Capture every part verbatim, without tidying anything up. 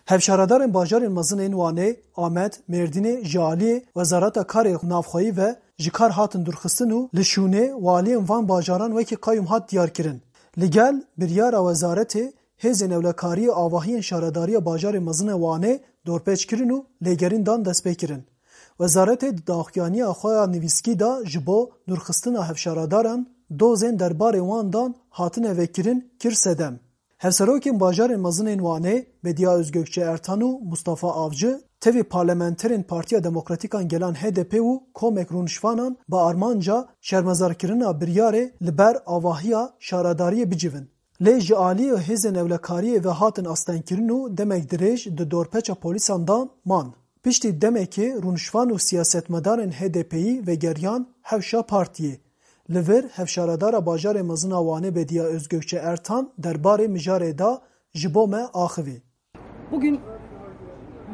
Hevşaredarên bajarên mezin ên Wanê, Amed, Mêrdînê ji aliyê Wezareta Karê Navxweyî ve ji kar hatin dûrxistin û li şûnê waliyên van bajaran wekî qayûm hat diyarkirin. Li gel biryara wezaretê, hêzên ewlekariyê avahiyên şaredariya bajarê mezin e Wanê dorpêç kirin û lêgerîn dan destpêkirin. Wezaretê di daxuyaniya xwe ya nivîskî de ji bo dûrxistina hevşaredaran dozên derbarê wan dan hatine vekirin kir sedem. Hevserokên bajarên mezin ên Wanê, Bediya Özgökçe Ertan û Mustafa Avcı, tevî parlamenterên Partiya Demokratîkan Gelan H D P û Komek Rûnişvanan bi armanca şermezarkirina biryarê li ber avahiya şaredariyê bicivin. Lê ji aliyê hêzên ewlekariyê ve hatin astengkirin û demek dirêj di dorpeça polîsan de man. Piştî demekê rûnişvan û siyasetmedarên H D P'yî vegeriyan hewşa partiyê. Li vir hevşaredara bajarê mezin a Wanê Bediya Özgökçe Ertan derbarê mijarê de ji bo me axivî. Bugün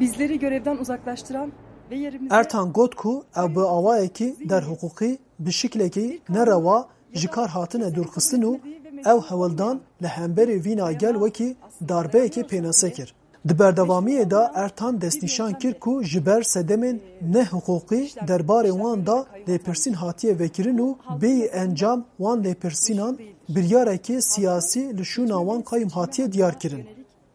bizleri görevden uzaklaştıran ve yerimize... Ertan got ku ew bi awayekî derhiqûqî, bi şiklekî nerewa ji kar hatine dûrxistin û ew hewldan li hemberî vîna gel wekî darbeyekê pênase kir. Di berdewamiyê de Ertan destnîşan kir ku ji ber sedemên nehiqûqî derbarê wan de lêpirsîn hatiye vekirin û bêyî encam wan lêpirsînan biryarekê siyasî li şûna wan qayûm hatiye diyarkirin.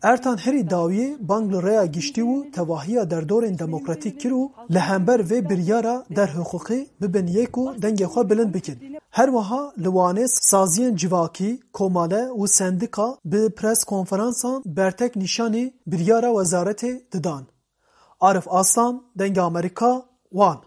Ertan herî dawiyê bang li rêya giştî û tevahiya derdorên demokratîk kir û li hember vê biryara derhiqûqî bibin yek û dengê xwe bilind bikin. Her wiha li Wanê saziyên civakî, komale û sendika bi pres konferansan bertek nîşanî biryara wezaretê didan. Arif Aslan, Dengê Amerîka, Wan.